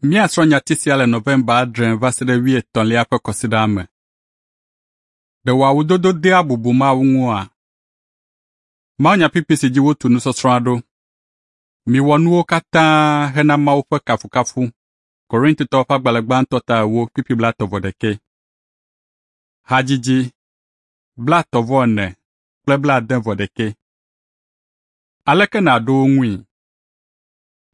Míasrɔ̃ nyati sia le Nɔvɛmba 8 va se ɖe 30 ƒe kɔsiɖaa me. Ɖe wò awudodo dea bubu Mawu ŋua? Mawunyakpukpui si dzi wotu nusɔsrɔ̃a ɖo. Miwɔ nuwo katã hena Mawu ƒe kafukafu. Korintotɔwo ƒe agbalẽ gbãtɔ ta 4 kpukpui 31. Hadzidzi 34 kple 71. Aleke nàɖo wo ŋui?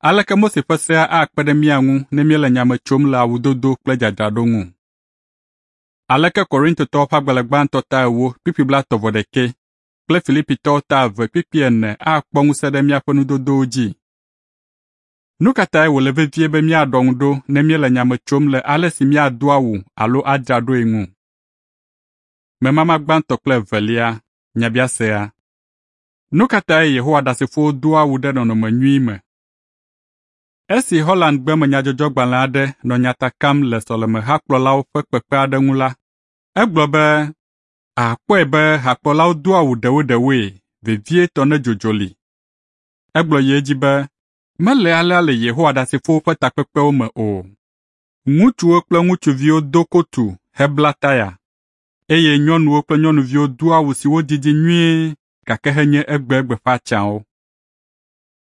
Aleke Mose ƒe sea akpe ɖe mía ŋu ne míele nya me tsom le awudodo kple dzadzraɖo ŋu? Aleke Korintotɔwo ƒe agbalẽ gbãtɔ ta 4 kpukpui 31 kple Filipitɔwo ta 2 kpukpui 4 akpɔ ŋusẽ ɖe míaƒe nudodowo dzi? Nu ka tae wòle vevie be míaɖɔ ŋu ɖo ne míele nya me tsom le ale si míado awu alo adzra ɖoe ŋu? Memama gbãtɔ kple evelia, nyabiasea. Nu ka tae Yehowa Ɖasefowo doa awu ɖe nɔnɔme nyui me? Esi Hollandgbe me nyadzɔdzɔgbalẽ aɖe nɔ nya ta kam le sɔlemehakplɔlawo ƒe kpekpe aɖe ŋu la, egblɔ be àkpɔe be hakplɔlawo doa awu ɖewoɖewoe, vevietɔ ne dzodzo li. Egblɔ yi edzi be mele alea le Yehowa Ɖasefowo ƒe takpekpewo me o. Ŋutsuwo kple ŋutsuviwo do kotu hebla taya, eye nyɔnuwo kple nyɔnuviwo doa awu siwo didi nyuie gake henye egbegbe ƒe atsyãwo.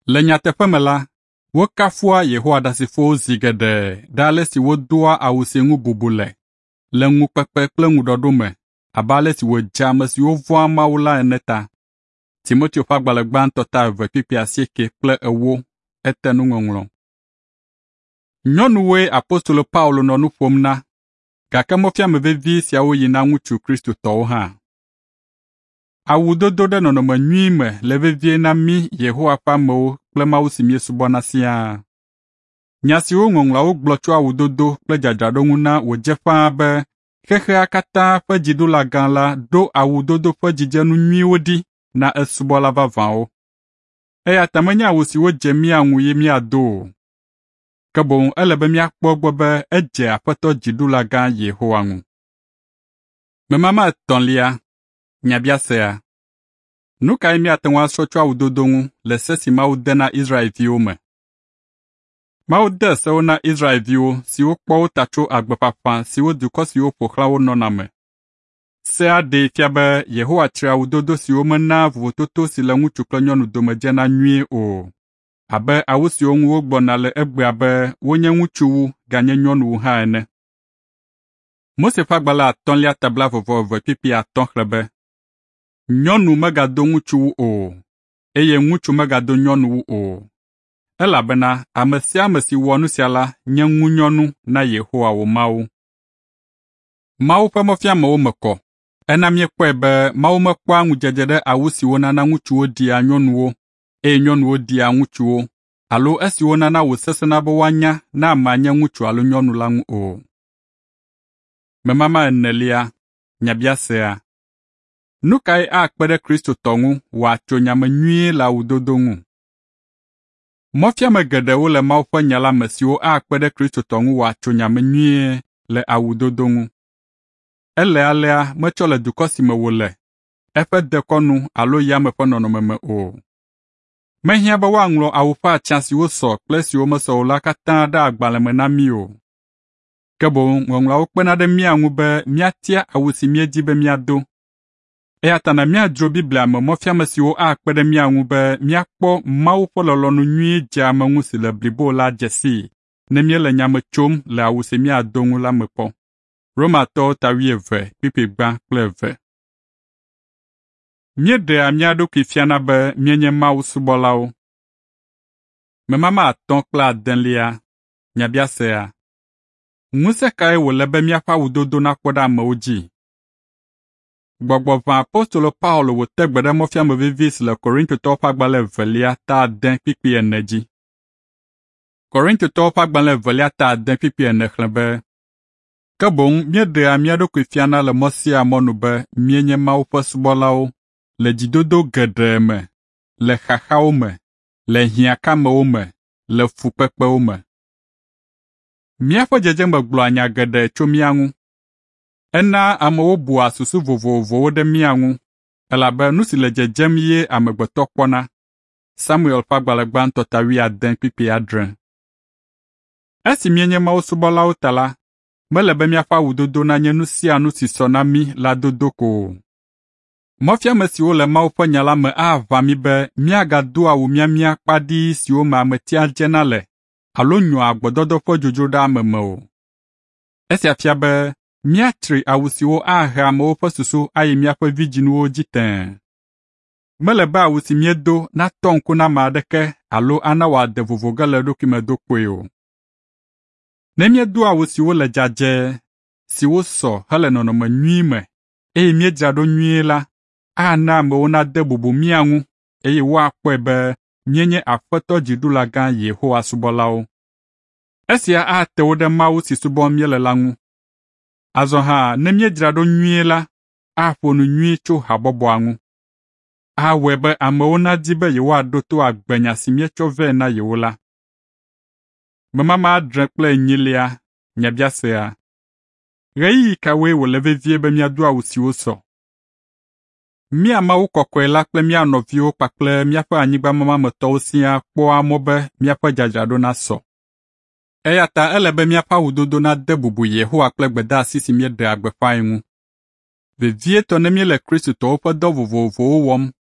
Le nyateƒe me la, wokafua Yehowa Ɖasefowo zi geɖe ɖe ale si wodoa awu si ŋu bubu le, le ŋukpekpe kple ŋuɖɔɖo me abe ale si wòdze ame siwo vɔ̃a Mawu la ene ta. Timoteo ƒe agbalẽ gbãtɔ ta 2 kpukpui 8 kple 8 ete nuŋɔŋlɔ. Nyɔnuwoe apostolo Paulo nɔ nu ƒom na, gake mɔfiame vevi siawo yi na ŋutsu Kristotɔwo hã. Awudodo ɖe nɔnɔme nyui me le vevie na mí Yehowa ƒe amewo kple Mawu si míesubɔna siaa. Nya siwo Ŋɔŋlɔawo gblɔ tso awudodo kple dzadzraɖo ŋu na wòdze ƒãa be xexea katã ƒe dziɖulagã la ɖo awudodo ƒe dzidzenu nyuiwo ɖi na esubɔla vavãwo. Eya ta menye awu siwo dze mía ŋu ye míado o, ke boŋ ele be míakpɔ egbɔ be edze Aƒetɔ Dziɖulagã Yehowa ŋu. Memama etɔ̃lia, nyabiasea. Nu kae míate ŋu asrɔ̃ tso awudodo ŋu le se si Mawu de na Israelviwo me? Mawu de sewo na Israelviwo siwo kpɔ wo ta tso agbe ƒaƒã siwo dukɔ siwo ƒo xlã wo nɔna me. Sea ɖee fia be Yehowa tsri awudodo siwo menaa vovototo si le ŋutsu kple nyɔnu dome dzena nyuie o, abe awu siwo ŋu wogblɔna le egbea be wonye ŋutsuwu ganye nyɔnuwu hã ene. Mose ƒe agbalẽ atɔ̃lia ta 22 kpukpui 5 xlẽ be, Nyɔnu megado ŋutsuwu o, eye ŋutsu megado nyɔnuwu o, elabena ame sia ame si wɔ nu sia la nye ŋunyɔnu na Yehowa wò Mawu. Mawu ƒe mɔfiamewo me kɔ. Ena míekpɔe be Mawu mekpɔa ŋudzedze ɖe awu siwo nana ŋutsuwo ɖia nyɔnuwo eye nyɔnuwo ɖia ŋutsuwo alo esiwo nana wòsesẽna be woanya ne amea nye ŋutsu alo nyɔnu la ŋu o. Memama enelia, nyabiasea. Nu kae akpe ɖe Kristotɔ ŋu wòatso nya me nyuie le awudodo ŋu? Mɔfiame geɖewo le Mawu ƒe nya la me siwo akpe ɖe Kristotɔ ŋu wòatso nya me nyuie le awudodo ŋu. Ele alea metsɔ le dukɔ si me wòle, eƒe dekɔnu alo yame ƒe nɔnɔme me o. Mehiã be woaŋlɔ awu ƒe atsyã siwo sɔ kple esiwo mesɔ o la katã ɖe agbalẽ me na mí o. Ke boŋ Ŋɔŋlɔawo kpena ɖe mía ŋu be míatia awu si míedi be míado. Eya ta na míadzro Biblia me mɔfiame siwo akpe ɖe mía ŋu be míakpɔ Mawu ƒe lɔlɔ̃nu nyui dzeame ŋu si le blibo la dze sii ne míele nya me tsom le awu si míado ŋu la me kpɔ. Romatɔwo ta 11 kpukpui 1 kple 2. Míeɖea mía ɖokui fiana be míenye Mawu subɔlawo. Memama 5 kple 8, nyabiasea. Ŋusẽ kae wòle be míaƒe awudodo nakpɔ ɖe amewo dzi? Gbɔgbɔ ʋã apostolo Paulo wòte gbe ɖe mɔfiame vevi si le Korintotɔwo ƒe agbalẽ 2 ta 8 kpukpui 4 dzi. Korintotɔwo ƒe agbalẽ 2 ta 8 kpukpui 4 xlẽ be, Ke boŋ míeɖea mía ɖokui fiana le mɔ sia mɔ nu be míenye Mawu ƒe subɔlawo le dzidodo geɖe me, le xaxawo me, le hiãkamewo me, le fukpekpewo me. Míaƒe dzedzeme gblɔa nya geɖe tso mía ŋu. Enaa amewo bua susu vovovowo ɖe mía ŋu, elabe nu si le dzedzem ye amegbetɔ kpɔna. Samuel ƒe agbalẽ gbãtɔ ta 8 kpukpui 7. Esi míenye Mawu subɔlawo ta la, mele be míaƒe awudodo nanye nu sia nu si sɔ na mí la dodo ko o. Mɔfiame siwo le Mawu ƒe nya la me aʋã mí be míagado awu miamia kpaɖii siwo me ametia dzena le alo nyɔa gbɔdɔdɔ ƒe dzodzro ɖe ame me o. Esia fia be míatsri awu siwo ahe amewo ƒe susu ayi míaƒe vidzinuwo dzi tẽe. Mele be awu si míedo natɔ ŋku na ame aɖeke alo ana wòade vovo ge le eɖokui me do kpoe o. Ne míedo awu siwo le dzadzɛ, siwo sɔ hele nɔnɔme nyui me, eye míedzra ɖo nyuie la, ana amewo nade bubu mía ŋu eye woakpɔe be míenye Aƒetɔ Dziɖulagã Yehowa subɔlawo. Esia ate wo ɖe Mawu si subɔm míele la ŋu. Azɔ hã ne míedzra ɖo nyuie la, aƒo nu nyui tso habɔbɔa ŋu. Awɔe be amewo nadi be yewoaɖo to agbenya si míetsɔ vɛ na yewo la. Memama adre kple enyilia, nyabiasea. Ɣeyiɣi kawoe wòle vevie be míado awu siwo sɔ? Mía Mawu kɔkɔe la kple mía nɔviwo kpakple míaƒe anyigbamama me tɔwo siaa kpɔa mɔ be míaƒe dzadzraɖo nasɔ. Eya ta ele be míaƒe awudodo nade bubu Yehowa kple gbedeasi si míeɖea gbeƒãe ŋu. Vevietɔ ne míele Kristotɔwo ƒe dɔ vovovowo wɔm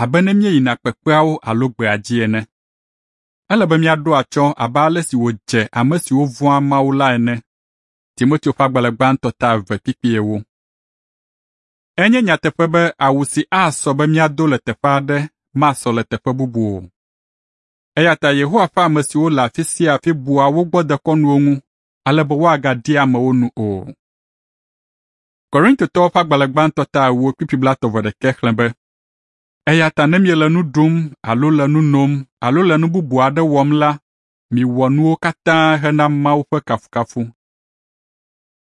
abe ne míeyina kpekpeawo alo gbeadzi ene. Ele be míaɖo atsyɔ̃ abe ale si wòdze ame siwo vɔ̃a Mawu la ene. Timoteo ƒe agbalẽ gbãtɔ ta eve kpukpui ewo. Enye nyateƒe be awu si asɔ be míado le teƒe aɖe masɔ le teƒe bubu o. Eya ta Yehowa ƒe ame siwo le afi sia afi bua wo gbɔ dekɔnuwo ŋu ale be woagaɖi amewo nu o. Korintotɔwo ƒe agbalẽ gbãtɔ ta ewo kpukpui blaetɔ̃ vɔ ɖekɛ xlẽ be, Eya ta ne miele nu ɖum alo le nu nom alo le nu bubu aɖe wɔm la, miwɔ nuwo katã hena Mawu ƒe kafukafu.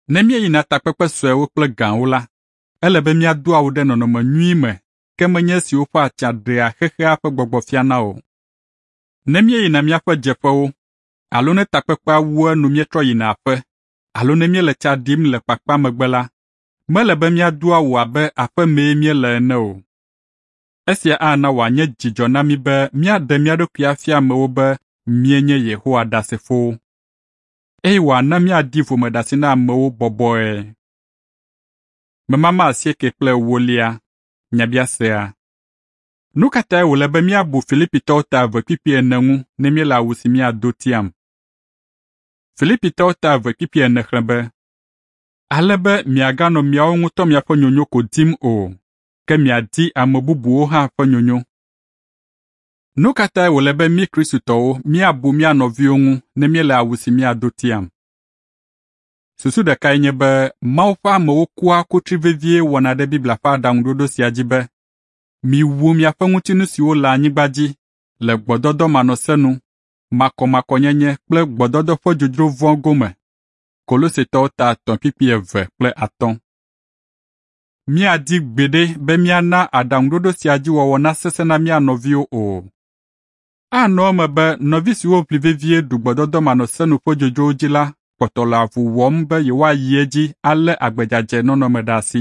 Ne míeyina takpekpe suewo kple gãwo la, ele be míado awu ɖe nɔnɔme nyui me, ke menye esiwo ƒe atsa ɖea xexea ƒe gbɔgbɔ fiana o. Ne míeyina míaƒe dzeƒewo, alo ne takpekpea wu enu míetrɔ yina aƒe, alo ne míele tsa ɖim le kpakpã megbe la, mele be míado awu abe aƒemee míele ene o. Esia ana wòanye dzidzɔ na mí be míaɖe mía ɖokui afia amewo be míenye Yehowa Ɖasefowo, eye wòana míaɖi vomeɖase na amewo bɔbɔe. Memama asieke kple ewolia, nyabiasea. Nu ka tae wòle be míabu Filipitɔwo ta eve kpukpui ene ŋu ne míele awu si míado tiam? Filipitɔwo ta eve kpukpui ene xlẽ be, ale be miaganɔ miawo ŋutɔ miaƒe nyonyo ko dim o, ke miadi ame bubuwo hã ƒe nyonyo. Nu ka tae wòle be mí Kristotɔwo míabu mía nɔviwo ŋu ne míele awu si míado tiam? Susu ɖekae nye be Mawu ƒe amewo kua kutri vevie wɔna ɖe Biblia ƒe aɖaŋuɖoɖo sia dzi be, “Miwu miaƒe ŋutinu siwo le anyigba dzi le gbɔdɔdɔ manɔsenu, makɔmakɔnyenye kple gbɔdɔdɔ ƒe dzodzro vɔ̃ gome.” Kolosetɔwo ta etɔ̃ kpukpui eve kple atɔ̃. Míadi gbeɖe be míana aɖaŋuɖoɖo sia dzi wɔwɔ nasesẽ na mía nɔviwo o. Anɔ eme be nɔvi siwo ʋli vevie ɖu gbɔdɔdɔ manɔsenu ƒe dzodzrowo dzi la kpɔtɔ le avu wɔm be yewoayi edzi alé agbe dzadzɛ nɔnɔ me ɖe asi.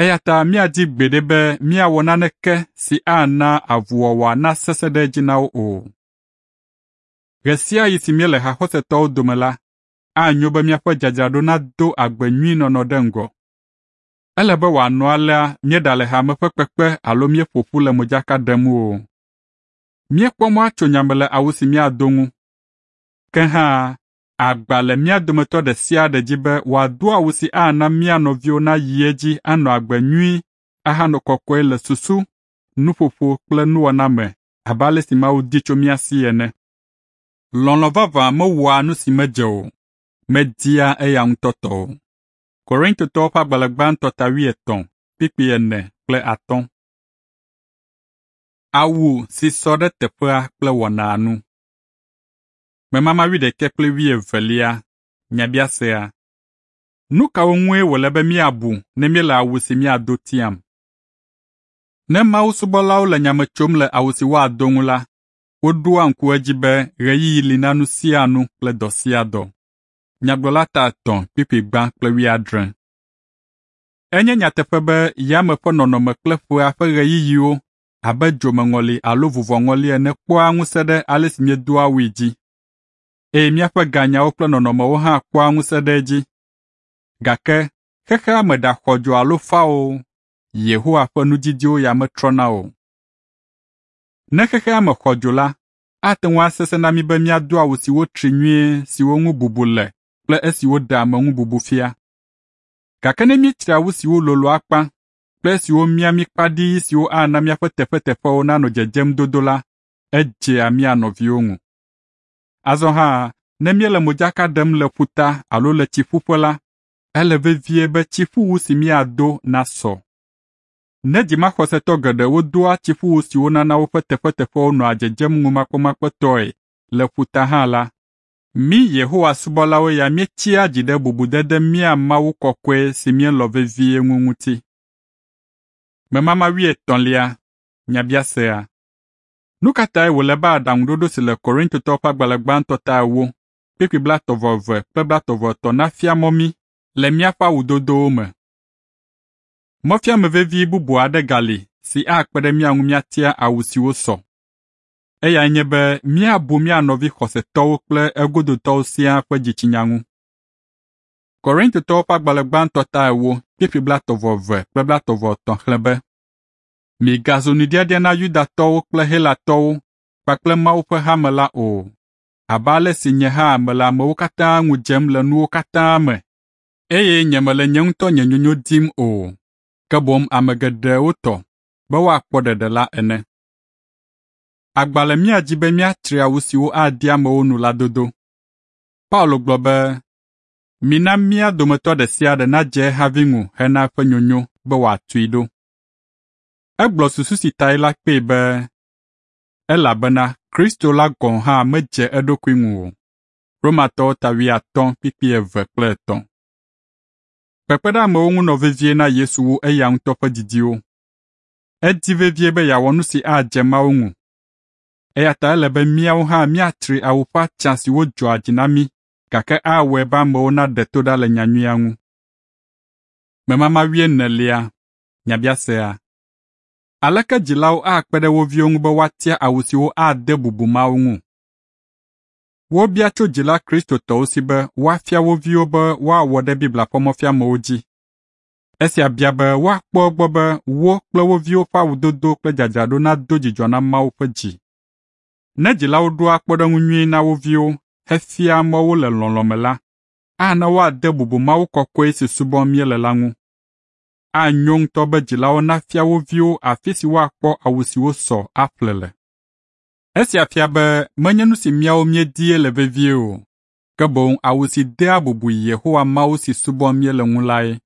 Eya ta míadi gbeɖe be míawɔ naneke si ana avuwɔwɔa nasesẽ ɖe edzi na wo o. Ɣe sia ɣi si míele haxɔsetɔwo dome la, anyo be míaƒe dzadzraɖo nado agbe nyui nɔnɔ ɖe ŋgɔ. Ele be wòanɔ alea míeɖale hame ƒe kpekpe alo míeƒo ƒu le modzaka ɖem o. Míekpɔ mɔ atso nya me le awu si míado ŋu. Ke hã, agba le mía dometɔ ɖe sia ɖe dzi be wòado awu si ana mía nɔviwo nayi edzi anɔ agbe nyui ahanɔ kɔkɔe le susu, nuƒoƒo kple nuwɔna me abe ale si Mawu di tso mía si ene. Lɔlɔ̃ vavã mewɔa nu si medze o, media eya ŋutɔ tɔ o. Korintotɔwo ƒe agbalẽ gbãtɔ ta wuietɔ̃, kpukpui ene kple atɔ̃. Awu si sɔ ɖe teƒea kple wɔnaa nu. Memama wuiɖekɛ kple wuievelia, nyabiasea. Nu kawo ŋue wòle be míabu ne míele awu si míado tiam? Ne Mawu subɔlawo le nya me tsom le awu si woado ŋu la, woɖoa ŋku edzi be ɣeyiɣi li na nu sia nu kple dɔ sia dɔ. Nyagblɔla ta etɔ̃ kpukpui gbã kple wuiadre. Enye nyateƒe be yame ƒe nɔnɔme kple ƒea ƒe ɣeyiɣiwo abe dzomeŋɔli alo vuvɔŋɔli ene kpɔa ŋusẽ ɖe ale si míedoa awui dzi. eye míaƒe ganyawo kple nɔnɔmewo hã kpɔa ŋusẽ ɖe edzi. Gake xexea me ɖaxɔ dzo alo fa o, Yehowa ƒe nudidiwo ya metrɔna o. Ne xexea me xɔ dzo la, ate ŋu asesẽ na mí be míado awu siwo tri nyuie siwo ŋu bubu le kple esiwo ɖea ame ŋu bubu fia. Gake ne míetsri awu siwo lolo akpa kple esiwo mia mí kpaɖii siwo ana míaƒe teƒeteƒewo nanɔ dzedzem dodo la, edzea mía nɔviwo ŋu. Azɔ hã, ne míele modzaka ɖem le ƒuta alo le tsiƒuƒe la, ele vevie be tsiƒuwu si míado nasɔ. Ne dzimaxɔsetɔ geɖewo doa tsiƒuwu siwo nana woƒe teƒeteƒewo nɔa dzedzem ŋumakpemakpetɔe le ƒuta hã la, mí Yehowa subɔlawo ya míetsia dzi ɖe bubudede mía Mawu kɔkɔe si míelɔ̃ vevie ŋu ŋuti. Memama wuietɔ̃lia, nyabiasea. Nu ka tae wòle be aɖaŋuɖoɖo si le Korintotɔwo ƒe agbalẽ gbãtɔ ta ewo, kpukpui blaetɔ̃-vɔ-eve kple blaetɔ̃-vɔ-etɔ̃ nafia mɔ mí le míaƒe awudodowo me? Mɔfiame vevi bubu aɖe gali si akpe ɖe mía ŋu míatia awu siwo sɔ. Eyae nye be míabu mía nɔvi xɔsetɔwo kple egodotɔwo siaa ƒe dzitsinya ŋu. Korintotɔwo ƒe agbalẽ gbãtɔ ta ewo, kpukpui blaetɔ̃-vɔ-eve kple blaetɔ̃-vɔ-etɔ̃ xlẽ be, Migazu nuɖiaɖia na Yudatɔwo kple Helatɔwo kpakple Mawu ƒe hame la o, abe ale si nye hã mele amewo katã ŋu dzem le nuwo katã me, eye nyemele nye ŋutɔ nye nyonyo dim o, ke boŋ ame geɖewo tɔ, be woakpɔ ɖeɖe la ene. Agba le mía dzi be míatsri awu siwo adi amewo nu la dodo. Paulo gblɔ be, “Mina mía dometɔ ɖe sia ɖe nadze ehavi ŋu hena eƒe nyonyo be wòatui ɖo.” Egblɔ susu si tae la kpee be, “Elabena Kristo la gɔ̃ hã medze eɖokui ŋu o.” Romatɔwo ta wuiatɔ̃ kpukpui eve kple etɔ̃. Kpekpe ɖe amewo ŋu nɔ vevie na Yesu wu eya ŋutɔ ƒe didiwo. Edi vevie be yeawɔ nu si adze Mawu ŋu. Eya ta ele be míawo hã míatsri awu ƒe atsyã siwo dzɔa dzi na mí gake awɔe be amewo naɖe to ɖa le nyanyuia ŋu. Memama wuienelia, nyabiasea. Aleke dzilawo akpe ɖe wo viwo ŋu be woatia awu siwo ade bubu Mawu ŋu? Wobia tso dzila Kristotɔwo si be woafia wo viwo be woawɔ ɖe Biblia ƒe mɔfiamewo dzi. Esia bia be woakpɔ egbɔ be wo kple wo viwo ƒe awudodo kple dzadzraɖo nado dzidzɔ na Mawu ƒe dzi. Ne dzilawo ɖoa kpɔɖeŋu nyui na wo viwo hefiaa mɔ wo le lɔlɔ̃ me la, ana woade bubu Mawu kɔkɔe si subɔm míele la ŋu. Anyo ŋutɔ be dzilawo nafia wo viwo afi si woakpɔ awu siwo sɔ aƒle le. Esia fia be menye nu si míawo míedie le vevie o, ke boŋ awu si dea bubu Yehowa Mawu si subɔm míele ŋu lae.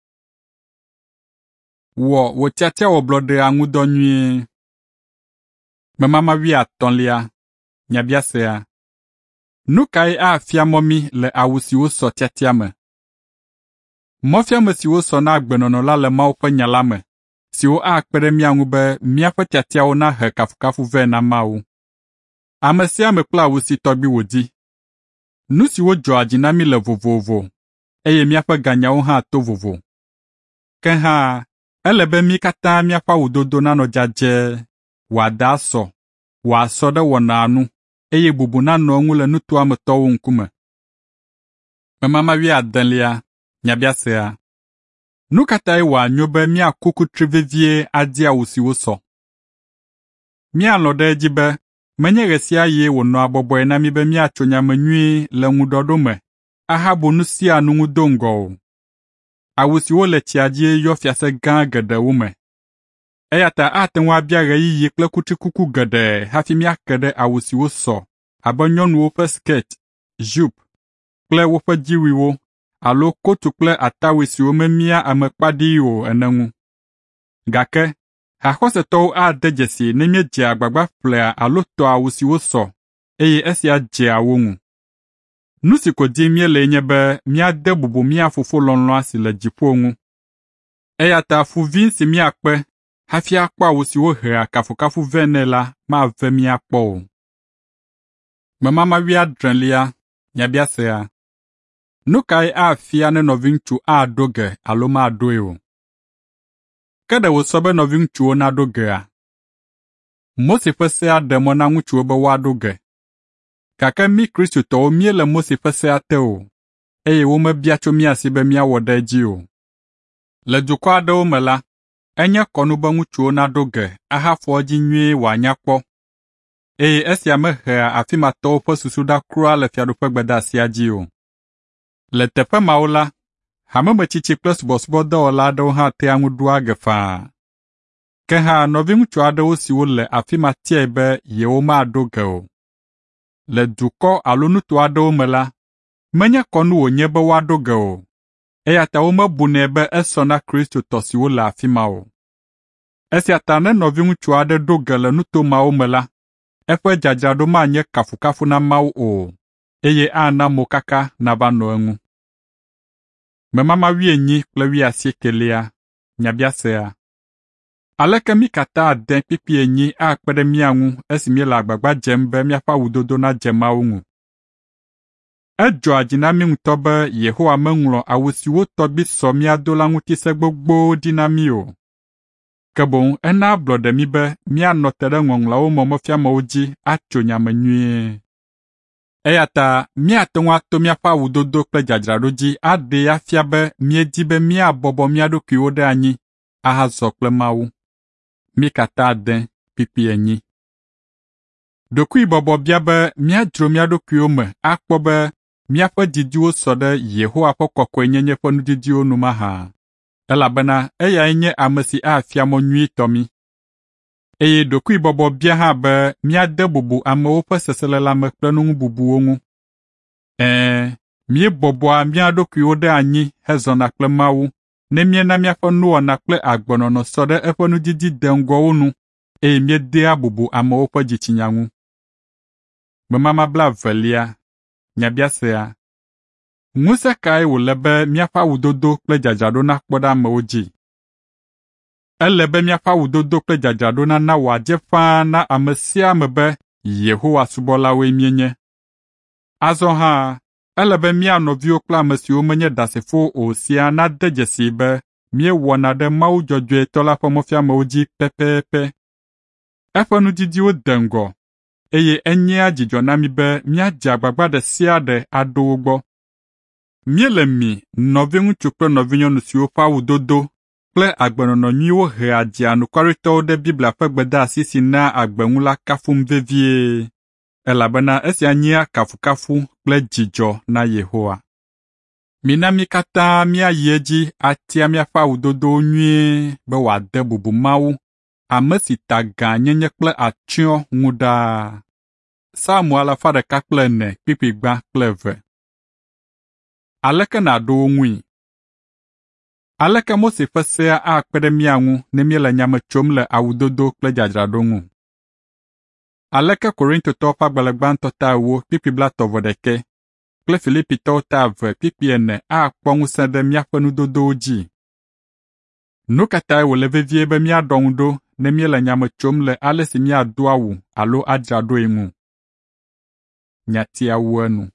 Wɔ wò tiatiawɔblɔɖea ŋu dɔ nyuie. Memama wuiatɔ̃lia, nyabiasea. Nu kae afia mɔ mí le awu siwo sɔ tiatia me? Mɔfiame siwo sɔ na agbenɔnɔ la le Mawu ƒe nya la me, siwo akpe ɖe mía ŋu be míaƒe tiatiawo nahe kafukafu vɛ na Mawu. Ame sia ame kple awu si tɔgbi wòdi. Nu siwo dzɔa dzi na mí le vovovo, eye míaƒe ganyawo hã to vovo. Ke hã, ele be mí katã míaƒe awudodo nanɔ dzadzɛ, wòada asɔ, wòasɔ ɖe wɔnaa nu, eye bubu nanɔ eŋu le nutoa me tɔwo ŋkume. Memama wuiadelia, nyabiasea. Nu ka tae wòanyo be míaku kutri vevie adi awu siwo sɔ? Míalɔ̃ ɖe edzi be menye ɣe sia ɣie wònɔa bɔbɔe na mí be míatso nya me nyuie le ŋuɖɔɖo me ahabu nu sia nu ŋu do ŋgɔ o. Awu siwo le tsia dzie yɔ fiase gã geɖewo me. Eya ta ate ŋu abia ɣeyiɣi kple kutrikuku geɖe hafi míake ɖe awu siwo sɔ abe nyɔnuwo ƒe skɛt, jupe kple woƒe dziwuiwo alo kotu kple atawui siwo memia ame kpaɖii o ene ŋu. Gake haxɔsetɔwo ade dzesii ne míedzea agbagba ƒlea alo tɔa awu siwo sɔ eye esia dzea wo ŋu. Nu si ko dim míelee nye be míade bubu mía Fofo lɔlɔ̃a si le dziƒo ŋu. Eya ta fu vi si míakpe hafi akpɔ awu siwo hea kafukafu vɛ nɛ la mave mí akpɔ o. Memama wuiadrelia, nyabiasea. Nu kae afia ne nɔviŋutsu aɖo ge alo maɖoe o? Ke ɖe wòsɔ be nɔviŋutsuwo naɖo gea? Mose ƒe sea ɖe mɔ na ŋutsuwo be woaɖo ge. Gake mí Kristotɔwo míele Mose ƒe sea te o, eye womebia tso mía si be míawɔ ɖe edzi o. Le dukɔ aɖewo me la, enye kɔnu be ŋutsuwo naɖo ge ahafɔ edzi nyuie wòanya kpɔ, eye esia mehea afi ma tɔwo ƒe susu ɖa kura le Fiaɖuƒegbedeasia dzi o. Le teƒe mawo la, hamemetsitsi kple subɔsubɔdɔwɔla aɖewo hã tea ŋu ɖoa ge faa. Ke hã nɔviŋutsu aɖewo siwo le afi ma tiae be yewomaɖo ge o. Le dukɔ alo nuto aɖewo me la, menye kɔnu wònye be woaɖo ge o, eya ta womebunɛ be esɔ na Kristotɔ siwo le afi ma o. Esia ta ne nɔviŋutsu aɖe ɖo ge le nuto mawo me la, eƒe dzadzraɖo manye kafukafu na Mawu o, eye ana mokaka nava nɔ eŋu. Memama wuienyi kple wuiasiekelia. Nyabiasea. Aleke mí katã ade kpikpi enyi akpe ɖe mía ŋu esi míele agbagba dzem be míaƒe awudodo nadze Mawu ŋu? Edzɔa dzi na mí ŋutɔ be Yehowa meŋlɔ awu siwo tɔgbi sɔ míado la ŋuti se gbogbowo ɖi na mí o. Ke boŋ ena ablɔɖe mí be míanɔ te ɖe Ŋɔŋlɔawo me mɔfiamewo dzi atso nya me nyuie. Eya ta míate ŋu ato míaƒe awudodo kple dzadzraɖo dzi aɖee afia be míedi be míabɔbɔ mía ɖokuiwo ɖe anyi ahazɔ kple Mawu. Mí katã ade kpikpi enyi. Ɖokuibɔbɔ bia be míadzro mía ɖokuiwo me akpɔ be míaƒe didiwo sɔ ɖe Yehowa ƒe kɔkɔenyenye ƒe nudidiwo nu mahã, elabena eyae nye ame si afia mɔ nyuitɔ mí. Eye ɖokuibɔbɔ bia hã be míade bubu amewo ƒe seselelãme kple nuŋububuwo ŋu. Ɛ̃, míebɔbɔa mía ɖokuiwo ɖe anyi hezɔna kple Mawu ne míena míaƒe nuwɔna kple agbenɔnɔ sɔ ɖe eƒe nudidi deŋgɔwo nu eye míedea bubu amewo ƒe dzitsinya ŋu. Memama blaevelia. Nyabiasea. Ŋusẽ kae wòle be míaƒe awudodo kple dzadzraɖo nakpɔ ɖe amewo dzi? Ele be míaƒe awudodo kple dzadzraɖo nana wòadze ƒãa na ame sia ame be Yehowa subɔlawoe míenye. Azɔ hã, ele be mía nɔviwo kple ame siwo menye Ɖasefowo o siaa nade dzesii be míewɔna ɖe Mawu dzɔdzɔetɔ la ƒe mɔfiamewo dzi pɛpɛpɛ. Eƒe nudidiwo de ŋgɔ, eye enyea dzidzɔ na mí be míadze agbagba ɖe sia ɖe aɖo wo gbɔ. Míele mi, nɔviŋutsu kple nɔvinyɔnu siwo ƒe awudodo kple agbenɔnɔ nyuiwo hea dzianukwaretɔwo ɖe Biblia ƒe gbedeasi si naa agbe ŋu la kafum vevie, elabena esia nyea kafukafu kple dzidzɔ na Yehowa. Mina mí katã míayi edzi atia míaƒe awudodowo nyuie be wòade bubu Mawu, ame si ta gãnyenye kple atsyɔ̃ ŋu ɖaa. Psalmo alafa ɖeka kple ene kpikpi gbã kple eve. Aleke nàɖo wo ŋui? Aleke Mose ƒe sea akpe ɖe mía ŋu ne míele nya me tsom le awudodo kple dzadzraɖo ŋu? Aleke Korintotɔwo ƒe agbalẽ gbãtɔ ta ewo kpikpi blaetɔ̃ vɔ ɖekɛ kple Filipitɔwo ta eve kpikpi ene akpɔ ŋusẽ ɖe míaƒe nudodowo dzi? Nu ka tae wòle vevie be míaɖɔ ŋu ɖo ne míele nya me tsom le ale si míado awu alo adzra ɖoe ŋu? Nyatia wu enu.